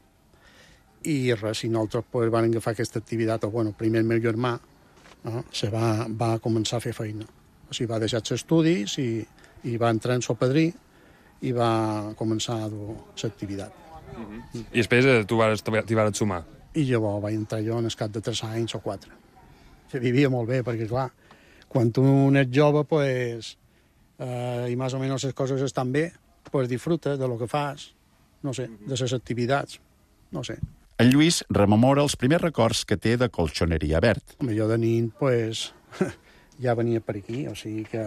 i res, i nosaltres pues, vam agafar aquesta activitat. Bueno, primer el meu germà va començar a fer feina. O sigui, va deixar els estudis i va entrar en sopadrí i va començar a dur l'activitat. I després t'hi vas sumar? I llavors vaig entrar jo en el cap de 3 anys o 4. Se vivia molt bé, perquè clar, quan tu ets jove, pues, i més o menys les coses estan bé, pues disfruta de lo que fas, no sé, de les activitats, no sé. En Lluís rememora els primers records que té de Colxoneria Verd. Jo de nin, pues, ja venia per aquí, o sigui que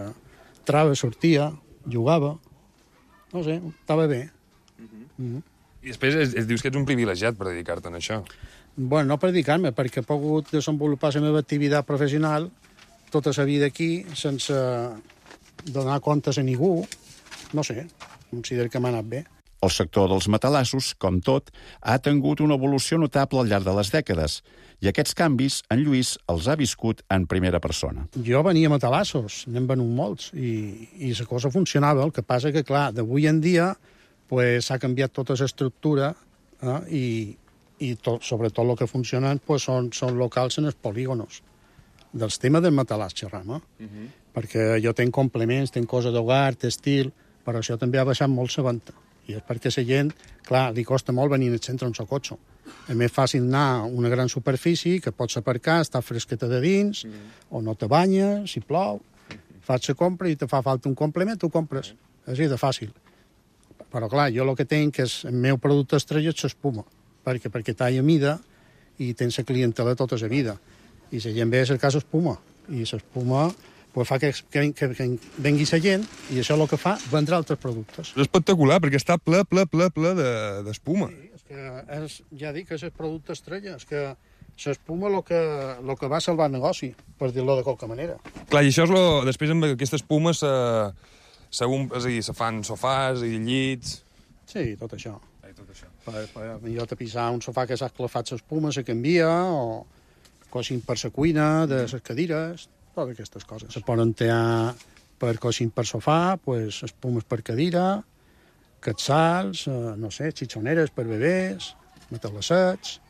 entrava, sortia, jugava, no sé, estava bé. I després dius que ets un privilegiat per dedicar-te a això. Bueno, no per dedicar-me, perquè he pogut desenvolupar la meva activitat professional tota la vida aquí, sense donar comptes a ningú. No sé, considero que m'ha anat bé. El sector dels matalassos, com tot, ha tingut una evolució notable al llarg de les dècades, i aquests canvis en Lluís els ha viscut en primera persona. Jo venia a matalassos, n'hem venut molts, i la cosa funcionava. El que passa que, clar, d'avui en dia pues, s'ha canviat tota l'estructura i sobretot el que funcionen pues, són locals en els polígonos. Dels temes del matalàs xerram, perquè jo tenc complements, tenc coses d'hogar, textil, però això també ha baixat molt la venda. I és perquè la gent, clar, li costa molt venir al centre amb el cotxe. És més fàcil anar a una gran superfície que pots aparcar, estar fresqueta de dins, o no te banyes, si plou, fas la compra i te fa falta un complement, tu compres. És així de fàcil. Però clar, jo el que tenc és el meu producte estrella és l'espuma, perquè talla mida i tens la clientela tota la vida. I la gent ve a cercar l'espuma, i l'espuma pues fa que vengui la gent, i això el que fa, vendre altres productes. És espectacular, perquè està ple d'espuma. Sí, és que ja dic que és el producte estrella, és que l'espuma el que va salvar el negoci, per dir-lo de qualque manera. Clar, i això és després amb aquesta espuma se fan sofàs i llits... Sí, tot això. Per jo tapisar un sofà que s'ha esclafat l'espuma, se canvia, o coixin per la cuina, de les cadires, totes aquestes coses. Se poden tear per coixin per sofà, pues, espumes per cadira, quetzals, no sé, xitxoneres per bebès, matalassets...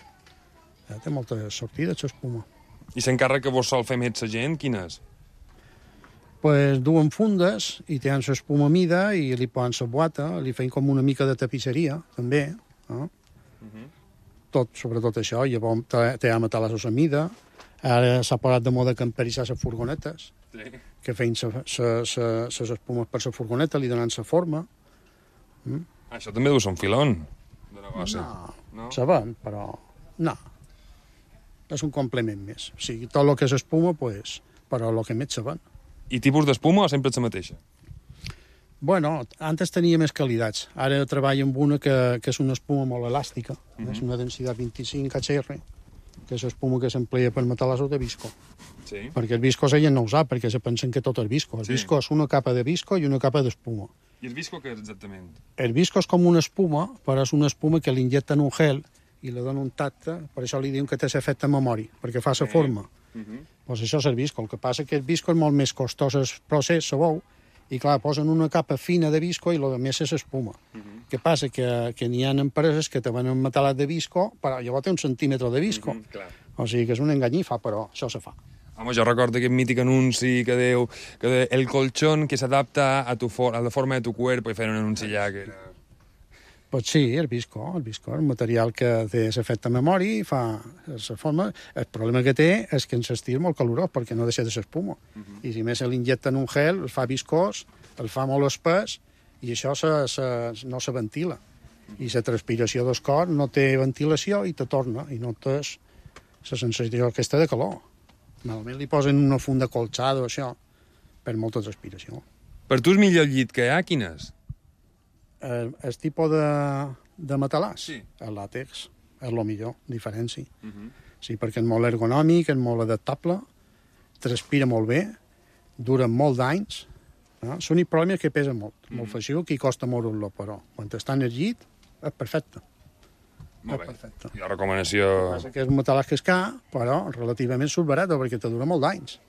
Té moltes sortides, l'espuma. I l'encàrrec que vos sol fer més la gent, quin és? Pues duen fundes i tenen l'espuma a mida i li posen la boata, li feien com una mica de tapisseria, també. Tot, sobretot això, llavors té matalassos a mida. Ara s'ha posat de moda camperitzar les furgonetes, que feien les espumes per la furgoneta, li donen la forma. Això també deu ser un filon de negoci. No, se ven, però no. És un complement més. O sigui, tot el que és espuma, pues, però el que més se ven. I tipus d'espuma o sempre és la mateixa? Bueno, antes tenia més qualitats. Ara treballo amb una que és una espuma molt elàstica, és una densitat 25 HR, que és l'espuma que s'emplea per matalassos de visco. Sí. Perquè el visco la gent no ho sap, perquè se pensen que tot és visco. El visco és una capa de visco i una capa d'espuma. I el visco què és exactament? El visco és com una espuma, però és una espuma que li injecten un gel i li donen un tacte, per això li diuen que té l'efecte memori, perquè fa la forma. Pues això és el visco. El que passa que el visco és molt més costós el procés, sabeu, i clar, posen una capa fina de visco i el més és espuma. Què passa? Que n'hi ha empreses que te venen metalat de visco, però llavors té un centímetre de visco. O sigui que és una enganyifa, però això se fa. Home, jo recordo aquest mític anunci que diu que el colchón que s'adapta a la forma de tu cuerpo, i feien un anunci allà que era... Pues sí, el visco, el material que té l'efecte memòria i fa la forma. El problema que té és que en l'estiu és molt calorós perquè no deixa de s'espuma. I si més se l'injecta en un gel, el fa viscós, el fa molt espès i això no se ventila. I la transpiració del cor no té ventilació i te torna i no tens la sensació aquesta de calor. Normalment li posen una funda colxada o això per molta transpiració. Per tu el millor llit que hi ha, quin és? El tipus de matalàs, sí. El làtex, és el millor, diferència. Sí, perquè és molt ergonòmic, és molt adaptable, transpira molt bé, dura molt d'anys. L'únic problema és que pesa molt feixuc i costa moure-lo, però quan està en el llit és perfecte. Molt bé. Perfecte. I la recomanació... Passa que és un matalàs que és car, però relativament subbarat, perquè te dura molt d'anys.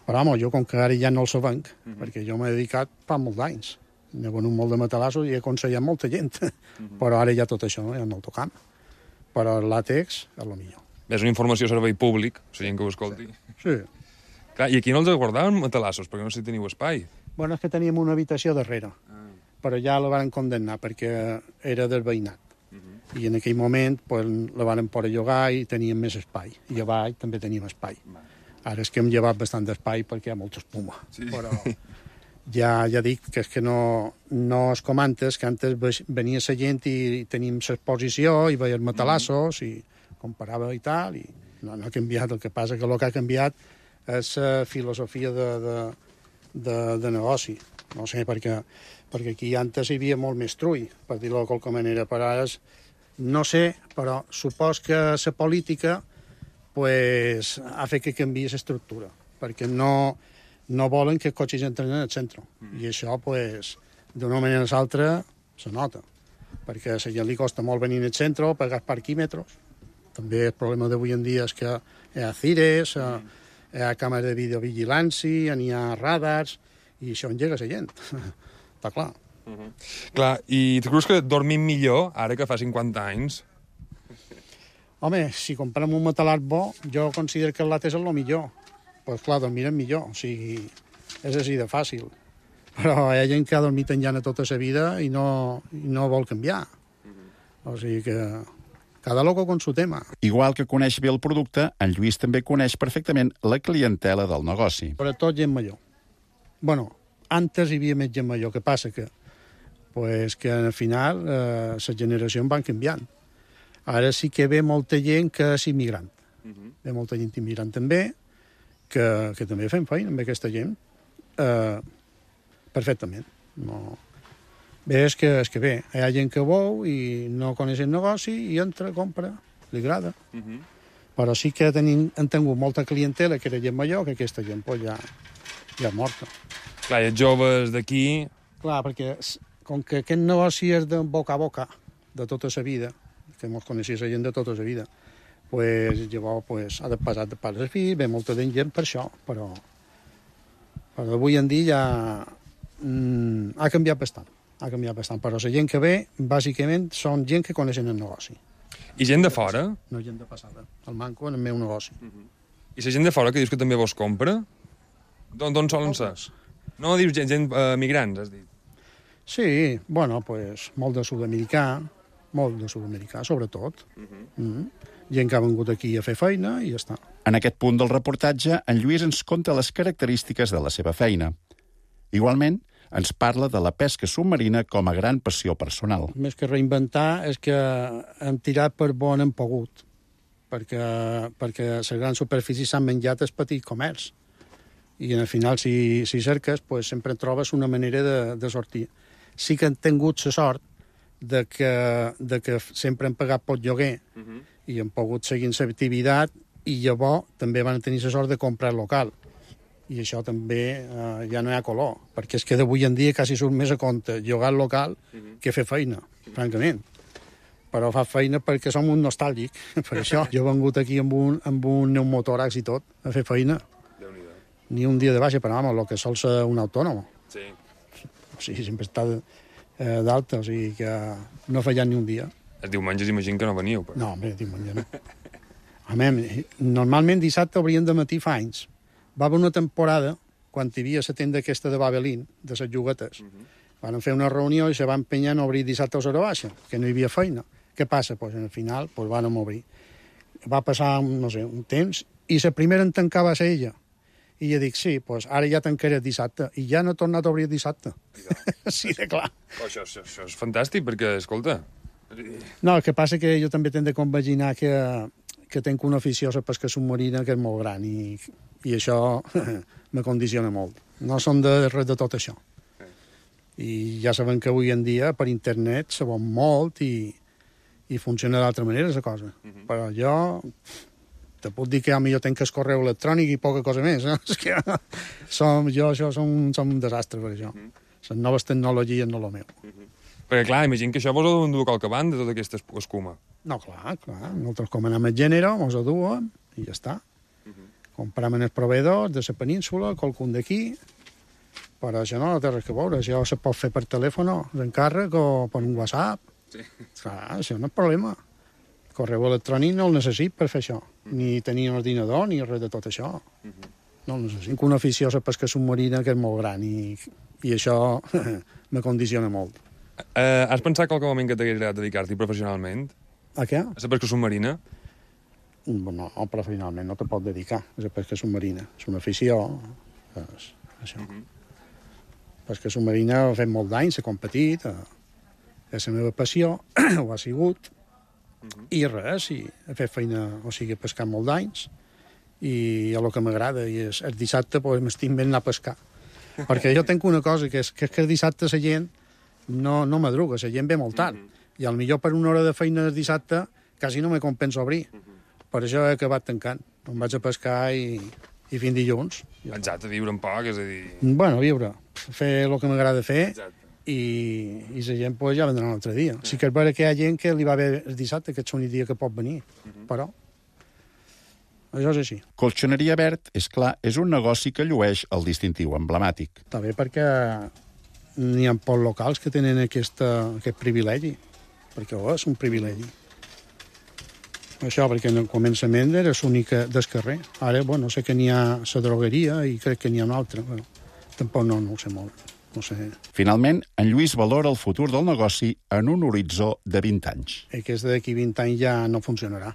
Però, home, jo com que ara ja no el sabenc, perquè jo m'he dedicat fa molt d'anys. N'he venut molt de matalassos i he aconsellat molta gent, però ara ja tot això ja no el tocam. Però el làtex és el millor. És una informació a servei públic, la gent que ho escolti. Sí. Clar, i aquí no els guardaven matalassos, perquè no sé si teniu espai. Bueno, és que teníem una habitació darrere, però ja la van condemnar perquè era del veïnat. I en aquell moment pues, la van poder llogar i teníem més espai. I a baix també teníem espai. Ara és que hem llevat bastant d'espai perquè hi ha molta espuma. Sí. Però ja dic que és que no és com antes, que antes venia la gent i teníem l'exposició i veiem matalassos i comparava i tal, i no ha canviat. El que passa que el que ha canviat és la filosofia de negoci. No sé, perquè aquí antes hi havia molt més trull, per dir-ho de qualque manera, però ara no sé, però supos que la política pues, ha fet que canviï l'estructura, perquè no volen que els cotxes entren en el centre. I això, pues, d'una manera o l'altra, se nota. Perquè a la gent li costa molt venir al centre, pagar parquímetres. També el problema d'avui en dia és que hi ha cires, hi ha càmeres de videovigilància, n'hi ha radars, i això engega la gent. Està clar. Clar, i tu creus que dormim millor ara que fa 50 anys? Home, si comprem un matalàs bo, jo considero que el làtex és el millor. Pues clar, dormirem millor, o sigui, és així de fàcil. Però hi ha gent que ha dormit en llana tota la vida i no vol canviar. O sigui que cada loco con su tema. Igual que coneix bé el producte, en Lluís també coneix perfectament la clientela del negoci. Sobretot gent major. Bueno, antes hi havia més gent major, que passa que al final les generacions van canviant. Ara sí que ve molta gent que és immigrant. Ve molta gent immigrant també, que també fem feina amb aquesta gent perfectament. No. Bé, és que bé, hi ha gent que vol i no coneix el negoci i entra, compra, li agrada. Però sí que hem tingut molta clientela que era gent major, que aquesta gent pues, ja és morta. Clar, i els joves d'aquí... Clar, perquè com que aquest negoci és de boca a boca, de tota la vida, que ens coneixia la gent de tota la vida, pues, llavors ha de passar de pares a fills, ve molta gent per això, però avui en dia ja ha canviat bastant. Però la gent que ve, bàsicament, són gent que coneixen el negoci. I gent de fora? No, gent de passada. El manco en el meu negoci. I la gent de fora que dius que també vos compra? D'on solen ser? No, dius gent migrants, has dit. Sí, bueno, molt de sud-americà, sobretot. Gent que ha vingut aquí a fer feina i ja està. En aquest punt del reportatge, en Lluís ens conta les característiques de la seva feina. Igualment, ens parla de la pesca submarina com a gran passió personal. Més que reinventar és que hem tirat per on hem pogut, perquè les grans superfícies s'han menjat el petit comerç. I al final, si cerques, sempre trobes una manera de sortir. Sí que hem tingut la sort de que sempre hem pagat pot lloguer i hem pogut seguir l'activitat i llavors també van tenir la sort de comprar local. I això també ja no hi ha color, perquè és que d'avui en dia quasi surt més a compte llogar local que fer feina, francament. Però fa feina perquè som un nostàlgic, per això. Jo he vengut aquí amb un pneumotòrax i tot, a fer feina. Ni un dia de baixa, però el que sol ser un autònom. Sí. O sigui, sempre està d'alta, o sigui que no ha fallat ni un dia. Els diumenges imagino que no veniu, però... No, home, diumenge no. Normalment dissabte obrien de matí fa anys. Va haver una temporada, quan hi havia la tenda aquesta de Babelín, de les juguetes, Van fer una reunió i se va empenyar a obrir dissabte a hora baixa, que no hi havia feina. Què passa? Pues, al final van obrir. Va passar, no sé, un temps, i la primera en tancar va ser ella. I jo dic, sí, pues ara ja tancaré el dissabte. I ja no he tornat a obrir el dissabte. Sí, de clar. Això és fantàstic, perquè, escolta... No, el que passa que jo també tinc de compaginar que tinc una afició a la pesca submarina que és molt gran i això me condiciona molt. No som de res de tot això. I ja sabem que avui en dia per internet se vol molt i funciona d'altra manera la cosa. Però jo te puc dir que a mi jo tinc el correu electrònic i poca cosa més. És que som un desastre per això. Les noves tecnologies no lo meu. Perquè, clar, imagino que això vos ho endur qualque banda, tota aquesta escuma. No, clar. Nosaltres comanem el gènere, mos ho duem i ja està. Comprem els proveïdors de la península, qualcun d'aquí, però això no té res que veure. Això se pot fer per telèfon, d'encàrrec o per un WhatsApp. Sí. Clar, això no és problema. El correu electrònic no el necessit per fer això. Ni tenir un ordinador, ni res de tot això. No el necessit. Una afició a la pesca submarina que és molt gran i això me condiciona molt. Has pensat qualque moment que t'hagués agradat dedicar-t'hi professionalment? A què? A la pesca submarina? No, professionalment no te pot dedicar a la pesca submarina. És una afició. És això. Pesca submarina ha fet molt d'anys, s'ha competit, és la meva passió, ho ha sigut, i res, he fet feina, o sigui, he pescat molt d'anys, i el que m'agrada, i el dissabte pues, m'estic ben anar a pescar. Perquè jo tinc una cosa, que és que el dissabte la gent no madruga, la gent ve molt tard, i potser per una hora de feina el dissabte quasi no me compensa obrir. Per això he acabat tancant. Em vaig a pescar i fins dilluns. Exacte, viure un poc, és a dir... Bueno, viure, fer el que m'agrada fer, i la gent pues, ja vendrà un altre dia. Sí que és vera que hi ha gent que li va bé el dissabte, que és l'únic dia que pot venir, però això és així. Colxoneria Verd, és clar, és un negoci que llueix el distintiu emblemàtic. Està bé perquè n'hi ha pocs locals que tenen aquest privilegi, perquè és un privilegi. Això, perquè en el començament era l'únic del carrer. Ara, bueno, sé que n'hi ha la drogueria i crec que n'hi ha una altra, però tampoc no ho sé molt. No sé. Finalment, en Lluís valora el futur del negoci en un horitzó de 20 anys. Aquest d'aquí 20 anys ja no funcionarà.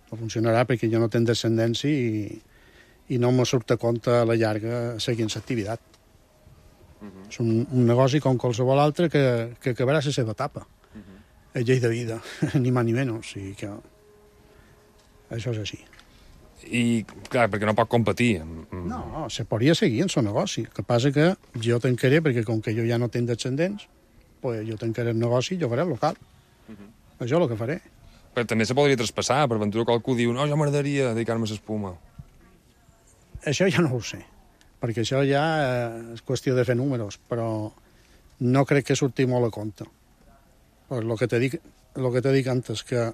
No funcionarà perquè jo no tinc descendència i no me surt a compte a la llarga seguint l'activitat. És un negoci com qualsevol altre que acabarà la seva etapa. És llei de vida, ni més ni menys. O sigui que això és així. I, clar, perquè no pot competir. No, se podria seguir en el negoci. El que passa que jo tancaré, perquè com que jo ja no tinc descendents, pues jo tancaré el negoci i jo faré el local. Això és el que faré. Però també se podria traspassar, per ventura qualcú diu no, jo m'agradaria dedicar-me a l'espuma. Això ja no ho sé, perquè això ja és qüestió de fer números, però no crec que surti molt a compte. Pues el que t'he dit antes, que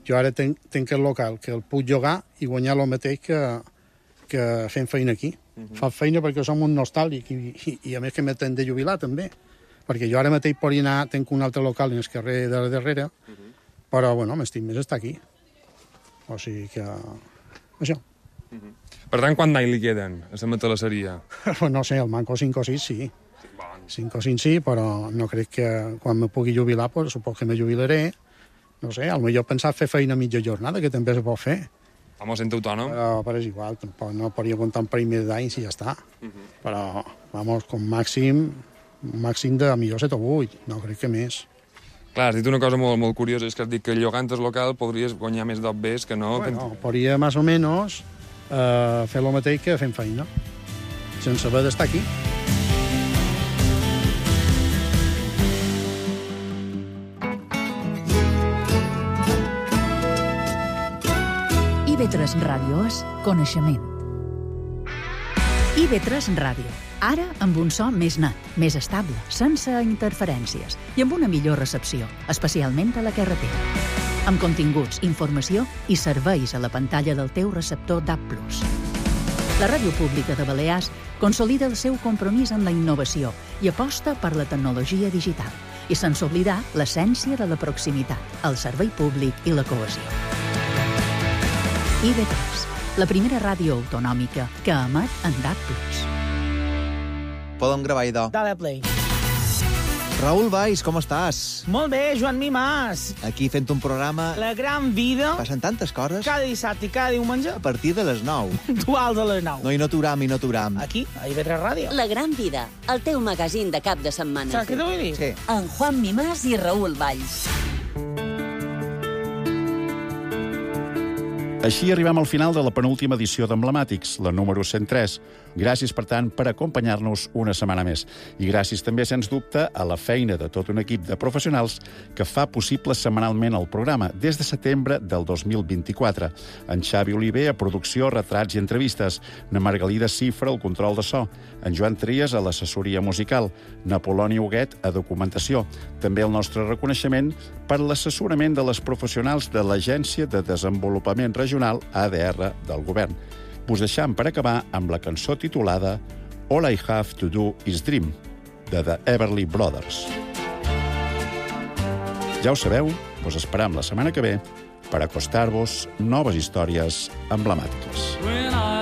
jo ara tinc el local, que el puc llogar i guanyar el mateix que fent feina aquí. Fa feina perquè som un nostàlgic i a més que m'he de jubilar també, perquè jo ara mateix podria anar, tinc un altre local en el carrer de darrere, però bueno, m'estic més estar aquí. O sigui que... això. Per tant, quant d'any li queden a la matalasseria? No sé, el manco 5 o 6 sí. 5 o 5 sí, però no crec que quan me pugui jubilar, pues, supos que me jubilaré. No sé, potser pensar fer feina a mitja jornada, que també se pot fer. Home, sent autònom. Però és igual, tampoc no podria comptar un parell més d'anys i ja està. Però, vamos, com màxim de millor 7 o 8, no crec que més. Clar, has dit una cosa molt, molt curiosa, és que has dit que llogant el local podries guanyar més d'obvers que no... Bueno, podria més o menys fer el mateix que fent feina, sense haver d'estar aquí. IB3 Ràdio és coneixement. IB3 Ràdio. Ara amb un so més net, més estable, sense interferències i amb una millor recepció, especialment a la carretera. Amb continguts, informació i serveis a la pantalla del teu receptor DAB+. La Ràdio Pública de Balears consolida el seu compromís amb la innovació i aposta per la tecnologia digital, i sense oblidar l'essència de la proximitat, el servei públic i la cohesió. IB3, la primera ràdio autonòmica que emet en DAB+. Podem gravar idò. Dale play. Raül Valls, com estàs? Molt bé, Joan Mimàs. Aquí fent un programa... La gran vida. Passen tantes coses. Cada dissabte i cada diumenge. A partir de les 9. Duals a les 9. No, i no t'uram. Aquí, a IB3 Ràdio. La gran vida, el teu magazín de cap de setmana. Saps què t'ho vull dir? Sí. En Juan Mimàs i Raül Valls. Així arribem al final de la penúltima edició d'Emblemàtics, la número 103. Gràcies, per tant, per acompanyar-nos una setmana més. I gràcies també, sens dubte, a la feina de tot un equip de professionals que fa possible setmanalment el programa des de setembre del 2024. En Xavi Oliver, a producció, retrats i entrevistes. Na Margalida Cifra, al control de so. En Joan Trias, a l'assessoria musical. Na Poloni Huguet, a documentació. També el nostre reconeixement per l'assessorament de les professionals de l'Agència de Desenvolupament Regional ADR del Govern. Us deixam per acabar amb la cançó titulada All I Have to Do Is Dream, de The Everly Brothers. Ja ho sabeu, us esperam la setmana que ve per acostar-vos noves històries emblemàtiques.